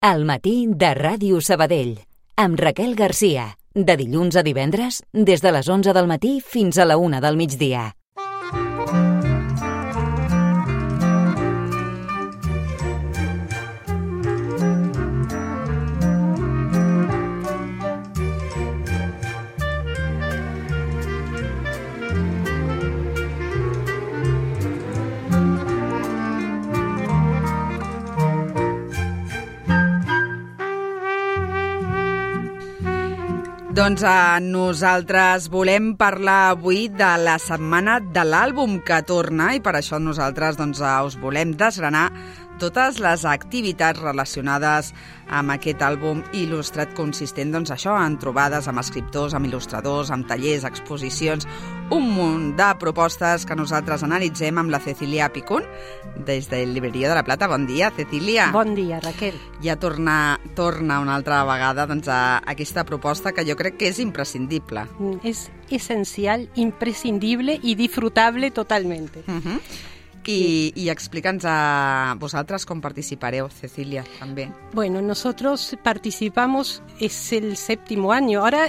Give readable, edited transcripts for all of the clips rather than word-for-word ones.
Al matí de Ràdio Sabadell, amb Raquel Garcia, de dilluns a divendres, des de les 11 del matí fins a la 1 del migdia. Doncs nosaltres volem parlar avui de la setmana de l'àlbum que torna i per això nosaltres us volem desgranar totes les activitats relacionades amb aquest àlbum il·lustrat consistent en trobades amb escriptors, amb il·lustradors, amb tallers, exposicions, un munt de propostes que nosaltres analitzem amb la Cecília Picún des del Libreria de la Plata. Bon dia, Cecília. Bon dia, Raquel. Ja torna una altra vegada a aquesta proposta que jo crec que és imprescindible. Es esencial, imprescindible y disfrutable totalmente. I explica'ns a vosaltres com participareu, Cecília, també. Bueno, nosotros participamos, es el 7º año. Ahora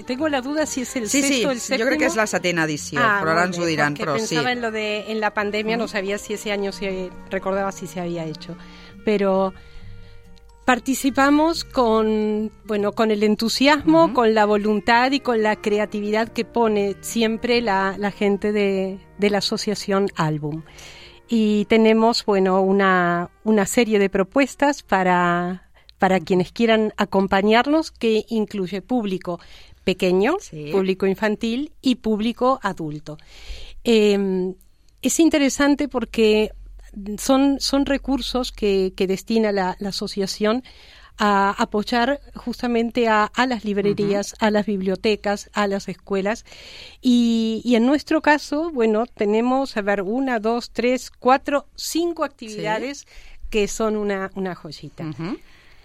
tengo la duda si es el sexto o el séptimo. Jo crec que és la 7ª edició, però ara ens ho diran. Porque pensaba en la pandemia, no sabía si ese año recordaba si se había hecho. Pero participamos con el entusiasmo, con la voluntad y con la creatividad que pone siempre la gente de la asociación Álbum. Y tenemos una serie de propuestas para quienes quieran acompañarnos, que incluye público pequeño, público infantil y público adulto. Es interesante porque son recursos que destina la asociación a apoyar justamente a las librerías, a las bibliotecas, a las escuelas. Y en nuestro caso, tenemos, 1, 2, 3, 4, 5 actividades que son una joyita.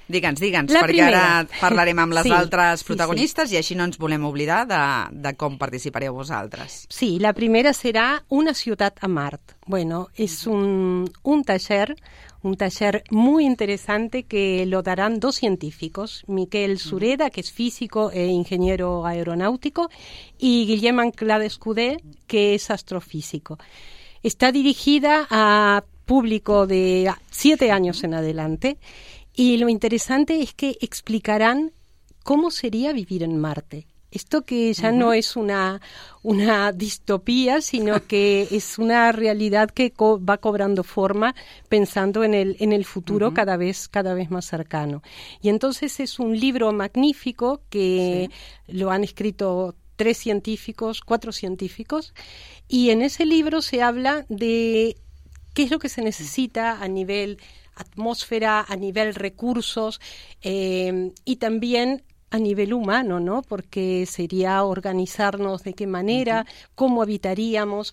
Digue'ns, perquè ara parlarem amb les altres protagonistes i així no ens volem oblidar de com participareu vosaltres. Sí, la primera será Una ciutat a Mart. Bueno, es un taller muy interesante que lo darán 2 científicos, Miquel Sureda, que es físico e ingeniero aeronáutico, y Guillem Anclada-Escudé, que es astrofísico. Está dirigida a público de 7 años en adelante. Y lo interesante es que explicarán cómo sería vivir en Marte. Esto que ya no es una distopía, sino que es una realidad que va cobrando forma pensando en el futuro cada vez más cercano. Y entonces es un libro magnífico que lo han escrito 4 científicos, y en ese libro se habla de qué es lo que se necesita a nivel atmósfera, a nivel recursos y también a nivel humano, ¿no? Porque sería organizarnos de qué manera, cómo habitaríamos.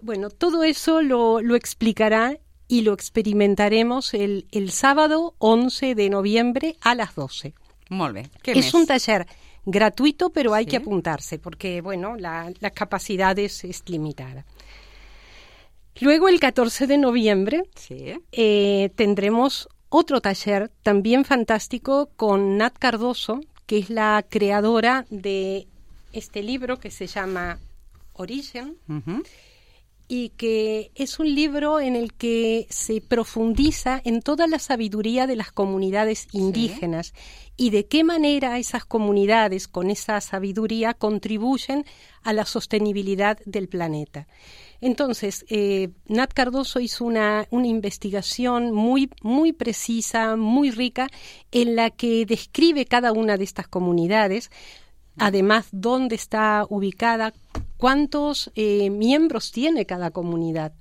Bueno, todo eso lo explicará y lo experimentaremos el sábado 11 de noviembre a las 12. Molt bé. Què més? És un taller gratuito, pero hay que apuntarse porque, la capacidad es limitada. Luego, el 14 de noviembre, tendremos otro taller también fantástico con Nat Cardoso, que es la creadora de este libro que se llama Origen, y que es un libro en el que se profundiza en toda la sabiduría de las comunidades indígenas y de qué manera esas comunidades, con esa sabiduría, contribuyen a la sostenibilidad del planeta. Entonces, Nat Cardoso hizo una investigación muy, muy precisa, muy rica, en la que describe cada una de estas comunidades, además dónde está ubicada, cuántos miembros tiene cada comunidad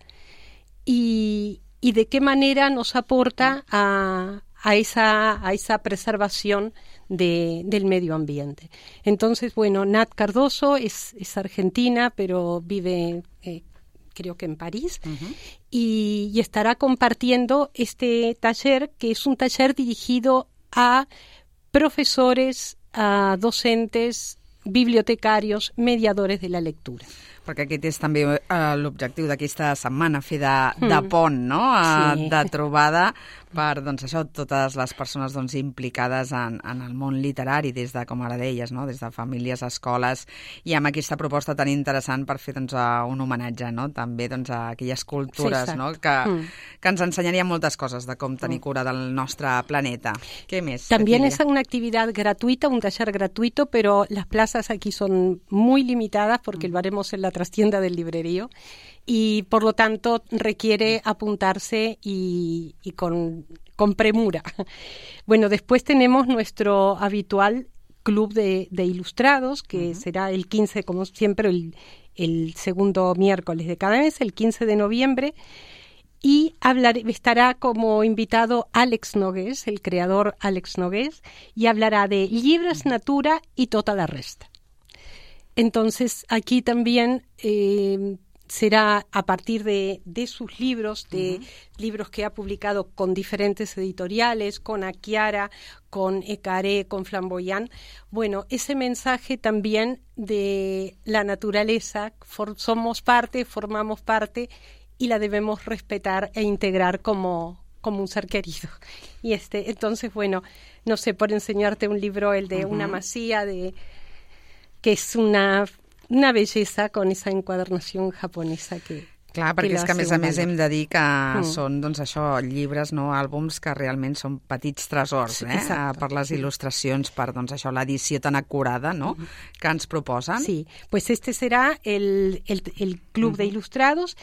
y de qué manera nos aporta a esa preservación del medio ambiente. Entonces, Nat Cardoso es argentina, pero vive creo que en París, y estará compartiendo este taller, que es un taller dirigido a profesores, a docentes, bibliotecarios, mediadores de la lectura. Perquè aquest és també l'objectiu d'aquesta setmana, fer de pont, no? De trobada per, doncs, això, totes les persones doncs, implicades en el món literari, des de, com ara deies, no? Des de famílies, escoles, i amb aquesta proposta tan interessant per fer doncs, un homenatge, no? També doncs, a aquelles cultures, no? Que ens ensenyaria moltes cosas de com tenir cura del nostre planeta. ¿Qué més? También es una actividad gratuita, un taller gratuito, pero las plazas aquí son muy limitadas porque lo haremos en la trastienda del librerío y por lo tanto requiere apuntarse y con premura. Bueno, después tenemos nuestro habitual club de ilustrados, que será el 15, como siempre, el segundo miércoles de cada mes, el 15 de noviembre, y estará como invitado Alex Nogués, el creador Alex Nogués, y hablará de llibres, natura y tota la resta. Entonces, aquí también será a partir de sus libros, de libros que ha publicado con diferentes editoriales, con Aquiara, con Ecaré, con Flamboyant. Bueno, ese mensaje también de la naturaleza, somos parte, formamos parte y la debemos respetar e integrar como un ser querido. Y entonces, bueno, no sé, por enseñarte un libro, el de una masía, que es una bellesa con esa encuadernación japonesa que... Clar, perquè és que a més hem de dir que són, doncs això, llibres, no, àlbums que realment són petits tresors, per les il·lustracions, per, doncs això, l'edició tan acurada, no?, que ens proposen. Sí, pues este será el Club de Ilustrados.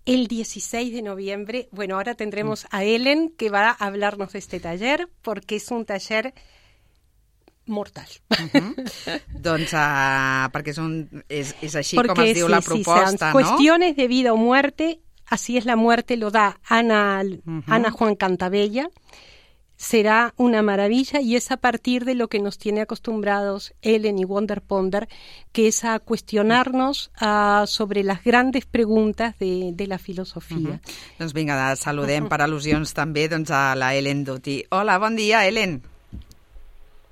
El 16 de noviembre, bueno, ahora tendremos a Ellen, que va a hablarnos de este taller, porque es un taller mortal. Doncs perquè és així porque, com es diu la proposta, ¿no? Cuestiones de vida o muerte, así es la muerte, lo da Ana Juan Cantabella. Será una maravilla y es a partir de lo que nos tiene acostumbrados Ellen y Wonder Ponder, que es a cuestionarnos sobre las grandes preguntas de la filosofia. Doncs vinga, saludem per al·lusions també doncs, a la Ellen Duty. Hola, bon dia, Ellen.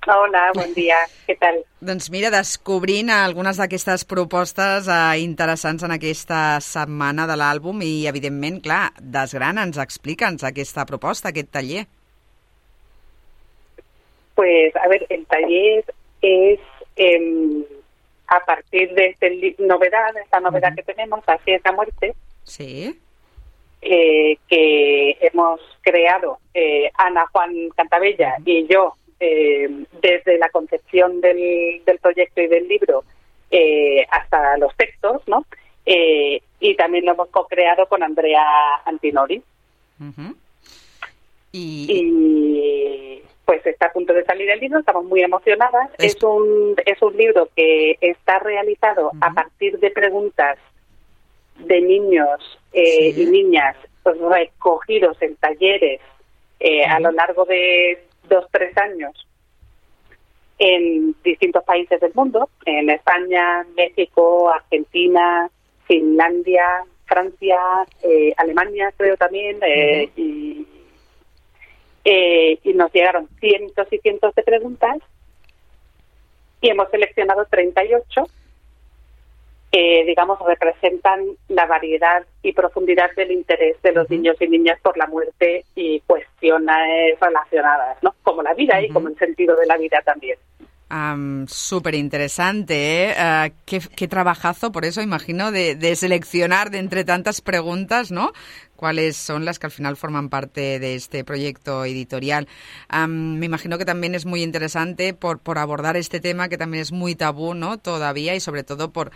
Hola, bon dia. Què tal? Doncs mira, descobrint algunes d'aquestes propostes interessants en aquesta setmana de l'àlbum i, evidentment, clar, desgrana'ns, explica'ns aquesta proposta, aquest taller. Pues, a ver, el taller es a partir de esta novedad que tenemos, Así es la muerte, sí, que hemos creado Ana Juan Cantabella y yo desde la concepción del proyecto y del libro hasta los textos, ¿no? Y también lo hemos co-creado con Andrea Antinori. Y pues está a punto de salir el libro, estamos muy emocionadas. Es un libro que está realizado a partir de preguntas de niños y niñas recogidos en talleres a lo largo de 2-3 años en distintos países del mundo, en España, México, Argentina, Finlandia, Francia, Alemania creo también, y nos llegaron cientos y cientos de preguntas y hemos seleccionado 38 que, digamos, representan la variedad y profundidad del interés de los niños y niñas por la muerte y cuestiones relacionadas, ¿no? Como la vida y como el sentido de la vida también. Súper interesante, ¿eh? Qué trabajazo, por eso imagino, de seleccionar de entre tantas preguntas, ¿no?, cuáles son las que al final forman parte de este proyecto editorial. Me imagino que también es muy interesante por abordar este tema que también es muy tabú, ¿no?, todavía, y sobre todo por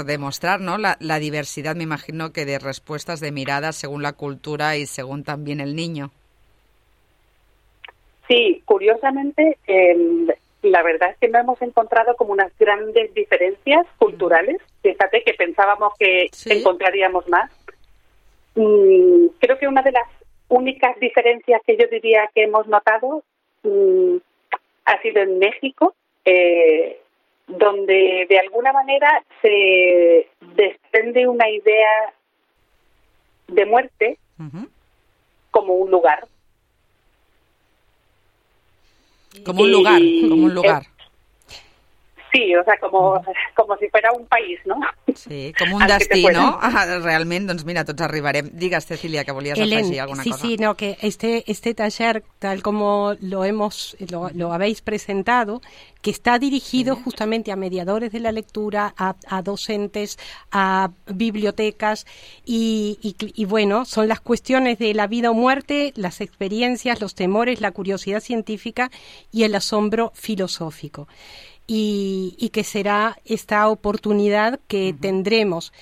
demostrar, ¿no?, la diversidad, me imagino, que de respuestas, de miradas según la cultura y según también el niño. Sí, curiosamente, la verdad es que no hemos encontrado como unas grandes diferencias culturales. Fíjate que pensábamos que encontraríamos más. Creo que una de las únicas diferencias que yo diría que hemos notado ha sido en México, donde de alguna manera se desprende una idea de muerte como un lugar. Como un lugar. Sí, o sea, como si fuera un país, ¿no? Sí, com un destí, ¿no? Realment, doncs mira, tots arribarem. Digues, Cecilia, que volies afegir alguna cosa. Sí, no, que este taller, tal como lo habéis presentado, que está dirigido justamente a mediadores de la lectura, a docentes, a bibliotecas y bueno, son las cuestiones de la vida o muerte, las experiencias, los temores, la curiosidad científica y el asombro filosófico. Y que será esta oportunidad que tendremos.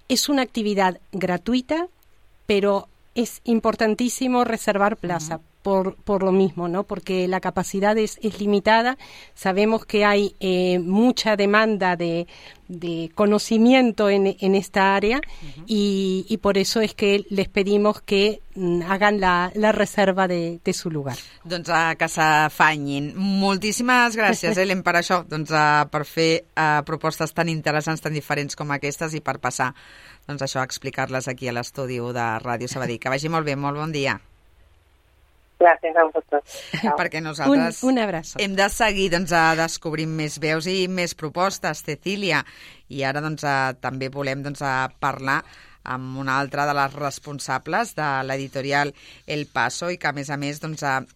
Es una actividad gratuita, pero es importantísimo reservar plaza por lo mismo, ¿no? Porque la capacidad es limitada. Sabemos que hay mucha demanda de conocimiento en esta área y por eso es que les pedimos que hagan la reserva de su lugar. Doncs que s'afanyin. Moltíssimes gràcies, Helen, per això, doncs, per fer propostes tan interessants, tan diferents com aquestes i per passar doncs, això a explicar-les aquí a l'estudi de Ràdio Sabadell. Que vagi molt bé, molt bon dia. Gràcies a vosaltres. Perquè nosaltres un abraço. Hem de seguir descobrint més veus i més propostes, Cecília. I ara també volem parlar amb una altra de les responsables de l'editorial El Paso i que, a més,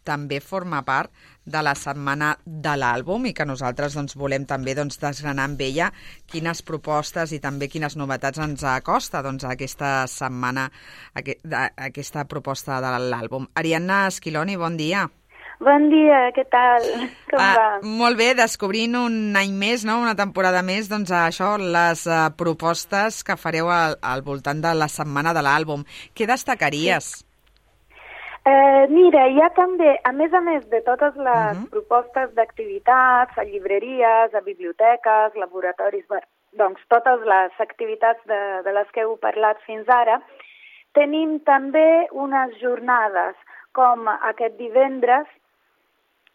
també forma part de la setmana de l'àlbum i que nosaltres volem també desgranar amb ella quines propostes i també quines novetats ens acosta aquesta setmana, aquesta proposta de l'àlbum. Ariadna Esquiloni, bon dia. Bon dia, què tal? Com va? Molt bé, descobrint un any més, no? Una temporada més, això, les propostes que fareu al voltant de la setmana de l'àlbum. Què destacaries? Sí. Mira, hi ha també, a més de totes les propostes d'activitats a llibreries, a biblioteques, laboratoris, doncs totes les activitats de les que heu parlat fins ara, tenim també unes jornades com aquest divendres,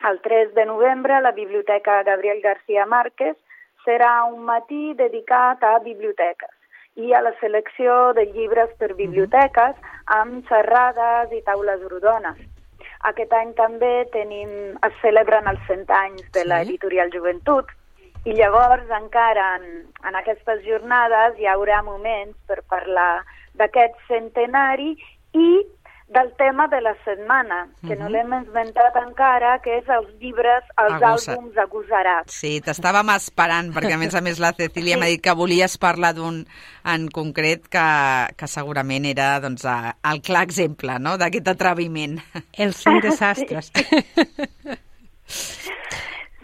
el 3 de novembre, a la Biblioteca Gabriel García Márquez, serà un matí dedicat a biblioteques i a la selecció de llibres per biblioteques amb xerrades i taules rodones. Aquest any també es celebren els 100 anys de l'editorial Joventut i llavors encara en aquestes jornades hi haurà moments per parlar d'aquest centenari i del tema de la setmana, que no l'hem inventat encara, que és els llibres, els àlbums agosarats. Sí, t'estàvem esperant, perquè a més la Cecília m'ha dit que volies parlar d'un en concret que segurament era el clar exemple, no?, d'aquest atreviment. Els 5 desastres.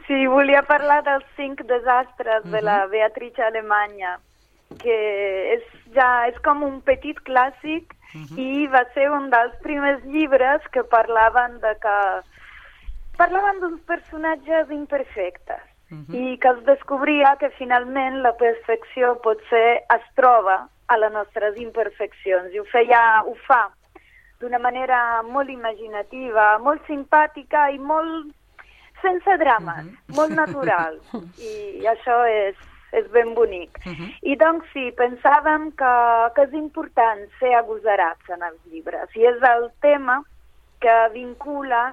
Sí, volia parlar dels 5 desastres de la Beatrice Alemanya, que és com un petit clàssic i va ser un dels primers llibres que parlaven d'uns personatges imperfectes i que es descobria que finalment la perfecció potser es troba a les nostres imperfeccions i ho fa d'una manera molt imaginativa, molt simpàtica i molt sense drames, molt natural, i això és ben bonic. I doncs sí, pensàvem que és important ser agosarats en els llibres i és el tema que vincula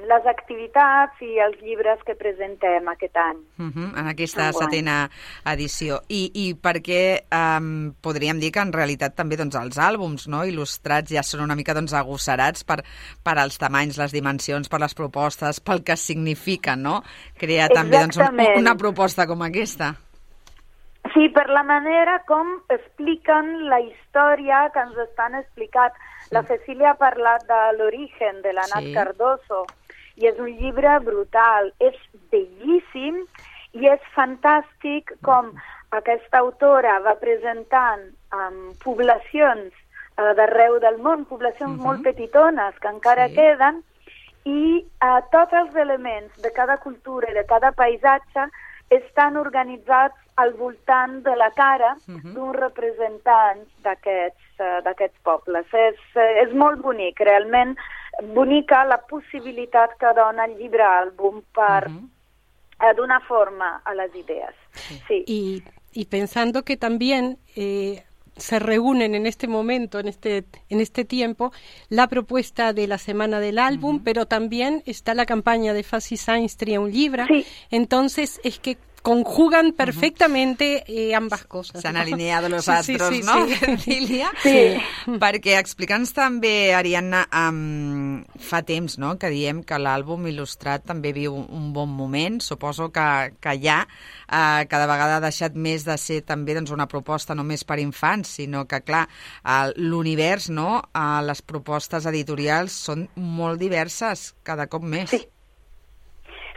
les activitats i els llibres que presentem aquest any. En aquesta setena edició. I perquè podríem dir que en realitat també els àlbums il·lustrats ja són una mica agosarats per als tamanys, les dimensions, per les propostes, pel que signifiquen, no? Crear també una proposta com aquesta. Sí, per la manera com expliquen la història que ens estan explicant. La Cecília ha parlat de l'origen de la Nat Cardoso i és un llibre brutal, és bellíssim i és fantàstic com aquesta autora va presentant poblacions d'arreu del món, poblacions molt petitones que encara queden i tots els elements de cada cultura i de cada paisatge estan organitzats al voltant de la cara d'un representant d'aquests pobles. És molt bonic, realment bonica la possibilitat que dona el llibre àlbum per donar forma a las ideas. Sí. Y pensando que también se reúnen en este momento, en este tiempo, la propuesta de la Semana del Álbum, pero también está la campaña de Faci Sáenz Tria un Llibre. Sí. Entonces, es que conjugan perfectamente ambas coses. S'han alineado los astros, no? Cecília? Sí. Perquè explica'ns també, Ariadna, fa temps, no?, que diem que l'àlbum il·lustrat també viu un bon moment. Suposo que ja cada vegada ha deixat més de ser també doncs, una proposta només per infants, sinó que, clar, l'univers, no?, les propostes editorials són molt diverses, cada cop més.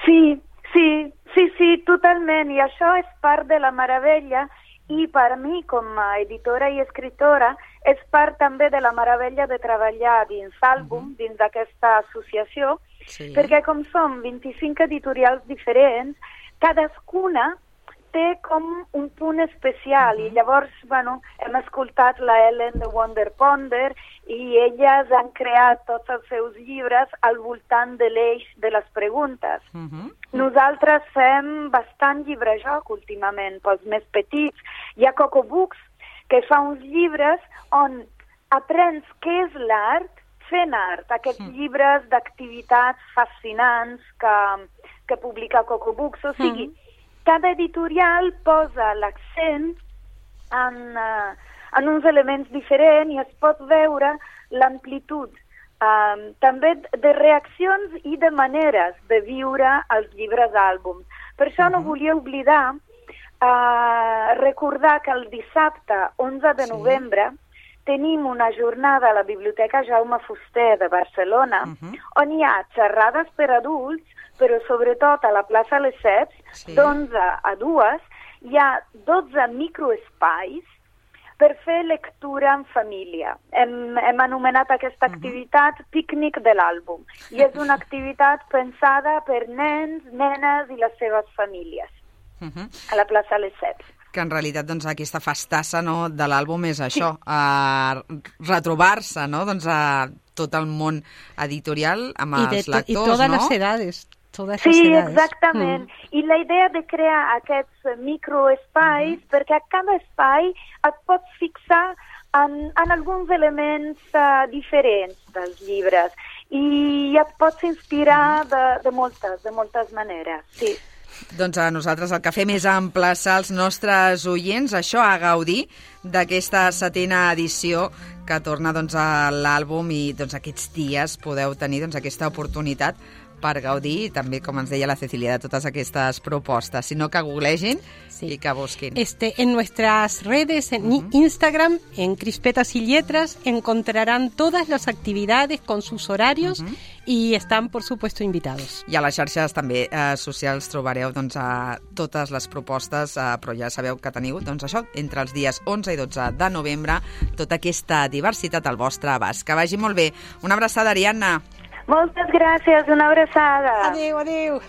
Sí, totalment, i això és part de la meravella, i per mi, com a editora i escriptora, és part també de la meravella de treballar dins àlbum, dins d'aquesta associació, perquè com som 25 editorials diferents, cadascuna té com un punt especial, i llavors, hem escoltat la Ellen de Wonder Ponder, i elles han creat tots els seus llibres al voltant de l'eix de les preguntes. Nosaltres fem bastant llibre-joc últimament, pels més petits. Hi ha Coco Books, que fa uns llibres on aprens què és l'art fent art, aquests llibres d'activitats fascinants que publica Coco Books. O sigui, cada editorial posa l'accent en uns elements diferents i es pot veure l'amplitud també de reaccions i de maneres de viure els llibres àlbums. Per això no volia oblidar recordar que el dissabte 11 de novembre tenim una jornada a la Biblioteca Jaume Fuster de Barcelona on hi ha xerrades per adults, però sobretot a la plaça Lesseps, d'11 a 2, hi ha 12 microespais per fer lectura en família. Hem anomenat aquesta activitat Pícnic de l'àlbum, i és una activitat pensada per nens, nenes i les seves famílies a la plaça Lesseps. Que en realitat doncs, aquesta festassa, no, de l'àlbum és això, retrobar-se, no, doncs, a tot el món editorial amb els lectors, i totes no? les edades. Sí, exactament. I la idea de crear aquests microespais, perquè a cada espai et pots fixar en alguns elements diferents dels llibres i et pots inspirar de moltes maneres, sí. Doncs a nosaltres el que fem és emplaçar els nostres oients a gaudir d'aquesta 7a edició que torna doncs, a l'àlbum, i doncs, aquests dies podeu tenir doncs, aquesta oportunitat per gaudir, i també, com ens deia la Cecília, de totes aquestes propostes, sinó que googlegin y que busquen. En nuestras redes, en Instagram, en Crispetas y Letras, encontrarán todas las actividades con sus horarios y están, por supuesto, invitados. I a les xarxes també socials trobareu doncs, totes les propostes, però ja sabeu que teniu doncs, això, entre els dies 11 i 12 de novembre, tota aquesta diversitat al vostre abast. Que vagi molt bé. Una abraçada, Ariadna. Moltes gràcies, una abraçada. Adéu.